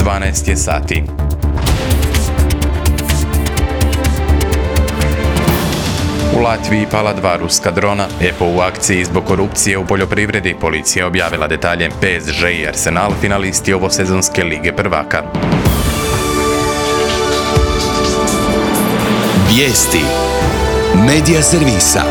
12 je sati. U Latviji pala 2 ruska drona. EPO u akciji zbog korupcije u poljoprivredi. Policija objavila detalje. PSG i Arsenal finalisti ovosezonske Lige prvaka. Vijesti Medija servisa.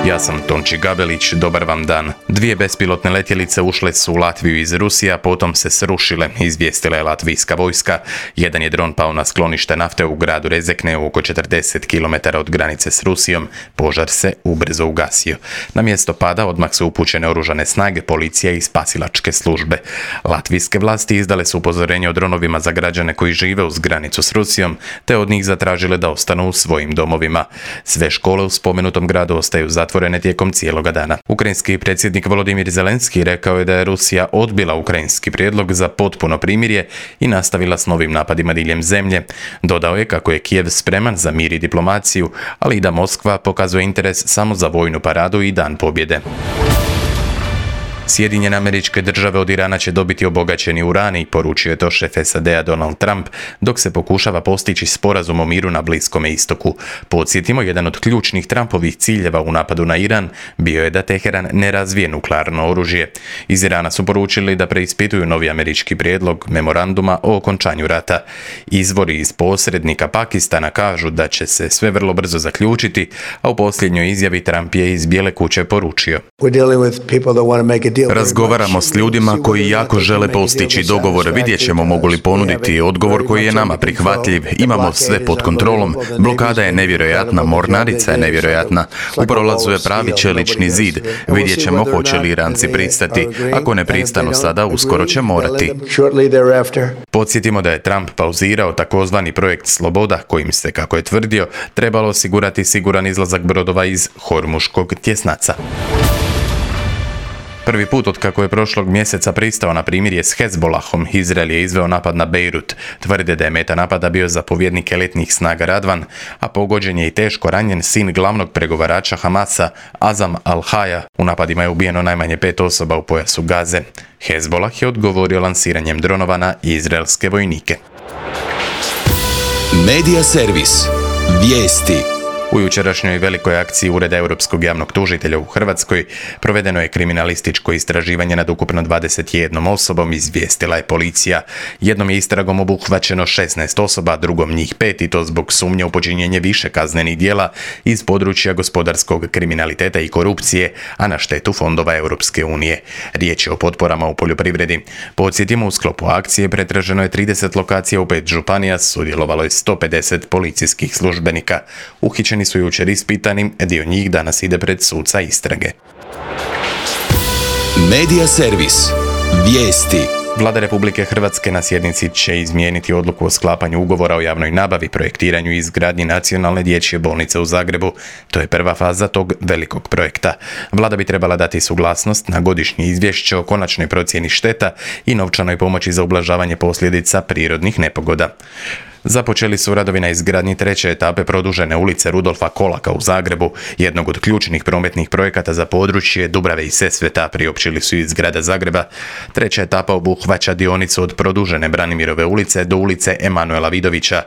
Ja sam Tonči Gabelić, dobar vam dan. 2 bespilotne letjelice ušle su u Latviju iz Rusije, a potom se srušile, izvijestila je latvijska vojska. Jedan je dron pao na sklonište nafte u gradu Rezekne, oko 40 km od granice s Rusijom. Požar se ubrzo ugasio. Na mjesto pada odmah su upućene oružane snage, policija i spasilačke službe. Latvijske vlasti izdale su upozorenje o dronovima za građane koji žive uz granicu s Rusijom, te od njih zatražile da ostanu u svojim domovima. Sve škole u spomenutom gradu ostaju zatvorene tijekom cijeloga dana. Ukrajinski predsjednik Volodimir Zelenski rekao je da je Rusija odbila ukrajinski prijedlog za potpuno primirje i nastavila s novim napadima diljem zemlje. Dodao je kako je Kijev spreman za mir i diplomaciju, ali i da Moskva pokazuje interes samo za vojnu paradu i dan pobjede. Sjedinjene Američke Države od Irana će dobiti obogaćeni uran, poručio je to šef SAD-a Donald Trump, dok se pokušava postići sporazum o miru na Bliskome istoku. Podsjetimo, jedan od ključnih Trumpovih ciljeva u napadu na Iran bio je da Teheran ne razvije nuklearno oružje. Iz Irana su poručili da preispituju novi američki prijedlog memoranduma o okončanju rata. Izvori iz posrednika Pakistana kažu da će se sve vrlo brzo zaključiti, a u posljednjoj izjavi Trump je iz Bijele kuće poručio: Razgovaramo s ljudima koji jako žele postići dogovor. Vidjet ćemo mogu li ponuditi odgovor koji je nama prihvatljiv. Imamo sve pod kontrolom. Blokada je nevjerojatna, mornarica je nevjerojatna. U prolazu je pravi čelični zid. Vidjet ćemo hoće li Iranci pristati. Ako ne pristanu sada, uskoro će morati. Podsjetimo da je Trump pauzirao takozvani projekt Sloboda, kojim se, kako je tvrdio, trebalo osigurati siguran izlazak brodova iz Hormuškog tjesnaca. Prvi put od kako je prošlog mjeseca pristao na primirje s Hezbolahom, Izrael je izveo napad na Bejrut. Tvrde da je meta napada bio zapovjednik elitnih snaga Radvan, a pogođen je i teško ranjen sin glavnog pregovarača Hamasa, Azam al-Haja. U napadima je ubijeno najmanje 5 osoba u pojasu Gaze. Hezbolah je odgovorio lansiranjem dronova na izraelske vojnike. Medija servis. Vijesti. U jučerašnjoj velikoj akciji Ureda Europskog javnog tužitelja u Hrvatskoj provedeno je kriminalističko istraživanje nad ukupno 21 osobom, izvijestila je policija. Jednom je istragom obuhvaćeno 16 osoba, drugom njih 5 i to zbog sumnje u počinjenje više kaznenih djela iz područja gospodarskog kriminaliteta i korupcije, a na štetu fondova Europske unije. Riječ je o potporama u poljoprivredi. Podsjetimo, u sklopu akcije pretraženo je 30 lokacija u 5 županija, sudjelovalo je 150 policijskih službenika. Uhićeni su jučer ispitani, dio njih danas ide pred suca istrage. Medija servis. Vijesti. Vlada Republike Hrvatske na sjednici će izmijeniti odluku o sklapanju ugovora o javnoj nabavi, projektiranju i izgradnji nacionalne dječje bolnice u Zagrebu. To je prva faza tog velikog projekta. Vlada bi trebala dati suglasnost na godišnje izvješće o konačnoj procjeni šteta i novčanoj pomoći za ublažavanje posljedica prirodnih nepogoda. Započeli su radovi na izgradnji 3. etape produžene ulice Rudolfa Kolaka u Zagrebu, jednog od ključnih prometnih projekata za područje Dubrave i Sesveta, priopćili su iz grada Zagreba. 3. etapa obuhvaća dionicu od produžene Branimirove ulice do ulice Emanuela Vidovića.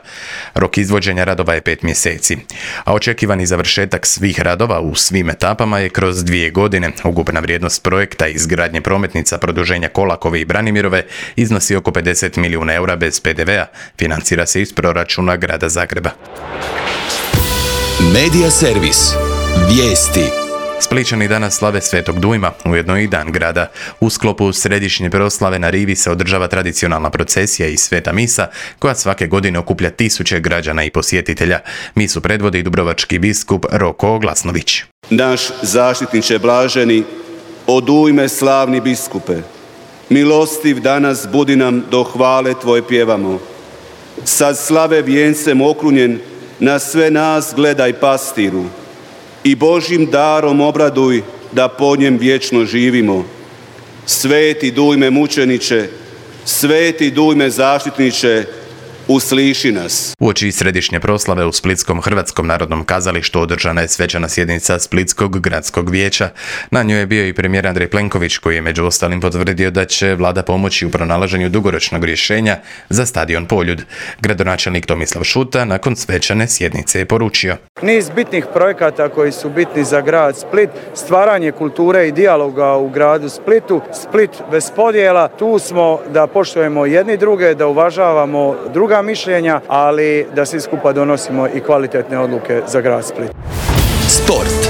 Rok izvođenja radova je 5 mjeseci, a očekivani završetak svih radova u svim etapama je kroz 2 godine. Ukupna vrijednost projekta izgradnje prometnica produženja Kolakove i Branimirove iznosi oko 50 milijuna eura bez PDV-a, financira se iz proračuna grada Zagreba. Medija servis. Vijesti. Splićani danas slave Svetog Dujma, ujedno i dan grada. U sklopu središnje proslave na rivi se održava tradicionalna procesija i sveta misa, koja svake godine okuplja tisuće građana i posjetitelja. Misu predvodi dubrovački biskup Roko Glasnović. Naš zaštitniče blaženi, od ujme slavni biskupe, milostiv danas budi nam do hvale tvoje pjevamo. Sad slave vijencem okrunjen, na sve nas gledaj pastiru i Božjim darom obraduj da po njem vječno živimo. Sveti Dujme mučeniče, sveti Dujme zaštitniče, usliši nas. Uoči središnje proslave u Splitskom Hrvatskom narodnom kazalištu održana je svečana sjednica Splitskog gradskog vijeća. Na njoj je bio i premijer Andrej Plenković, koji je među ostalim potvrdio da će vlada pomoći u pronalaženju dugoročnog rješenja za stadion Poljud. Gradonačelnik Tomislav Šuta nakon svečane sjednice je poručio: niz bitnih projekata koji su bitni za grad Split, stvaranje kulture i dijaloga u gradu Splitu, Split bez podjela, tu smo da poštujemo jedni druge, da uvažavamo druga mišljenja, ali da svi skupa donosimo i kvalitetne odluke za grad Split. Sport.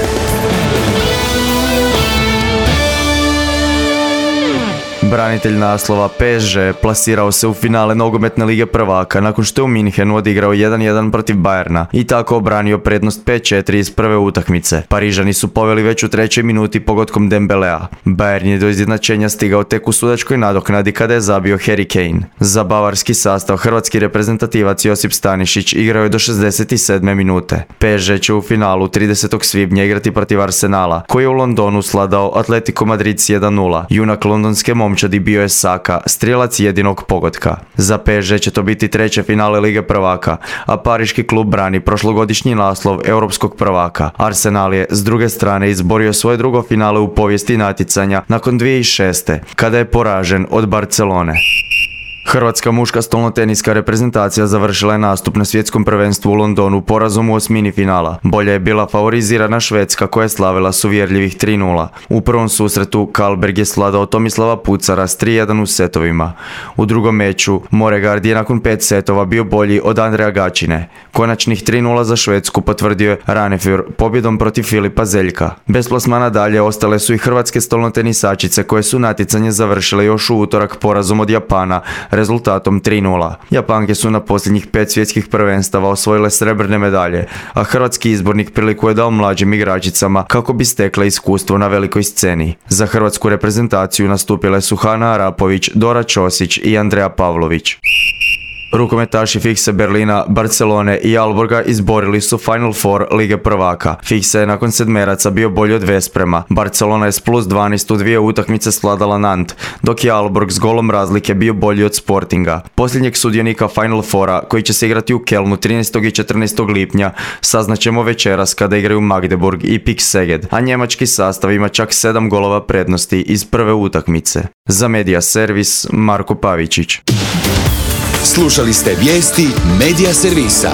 Branitelj naslova PSG plasirao se u finale nogometne lige prvaka nakon što je u Minhenu odigrao 1-1 protiv Bayerna i tako obranio prednost 5-4 iz prve utakmice. Parižani su poveli već u 3. minuti pogodkom Dembelea. Bayern je do izjednačenja stigao tek u sudačkoj nadoknadi kada je zabio Harry Kane. Za bavarski sastav hrvatski reprezentativac Josip Stanišić igrao je do 67. minute. PSG će u finalu 30. svibnja igrati protiv Arsenala, koji je u Londonu sladao Atletico Madrid s 1-0. Junak londonske momčadi bio je Saka, strijelac jedinog pogotka. Za PSG će to biti 3. finale Lige prvaka, a pariški klub brani prošlogodišnji naslov europskog prvaka. Arsenal je s druge strane izborio svoje drugo finale u povijesti natjecanja nakon 2006. kada je poražen od Barcelone. Hrvatska muška stolnoteniska reprezentacija završila je nastup na svjetskom prvenstvu u Londonu porazom u osmini finala. Bolje je bila favorizirana Švedska koja je slavila s uvjerljivih 3-0. U prvom susretu Karlberg je sladao Tomislava Pucara s 3-1 u setovima. U drugom meču Moregard je nakon 5 setova bio bolji od Andreja Gačine. Konačnih 3-0 za Švedsku potvrdio je Ranefjord pobjedom protiv Filipa Zeljka. Bez plasmana dalje ostale su i hrvatske stolnotenisačice koje su natjecanje završile još u utorak porazom od Japana rezultatom 3-0. Japanke su na posljednjih 5 svjetskih prvenstava osvojile srebrne medalje, a hrvatski izbornik priliku je dao mlađim igračicama kako bi stekle iskustvo na velikoj sceni. Za hrvatsku reprezentaciju nastupile su Hana Arapović, Dora Ćosić i Andreja Pavlović. Rukometaši Fikse Berlina, Barcelone i Aalborga izborili su Final Four Lige prvaka. Fikse je nakon sedmeraca bio bolji od Vesprema. Barcelona je s plus 12 u 2 utakmice svladala Nant, dok je Aalborg s golom razlike bio bolji od Sportinga. Posljednjeg sudionika Final Foura, koji će se igrati u Kelnu 13. i 14. lipnja, saznaćemo večeras kada igraju Magdeburg i PIK Szeged, a njemački sastav ima čak 7 golova prednosti iz prve utakmice. Za Media Servis, Marko Pavičić. Slušali ste vijesti Media Servisa.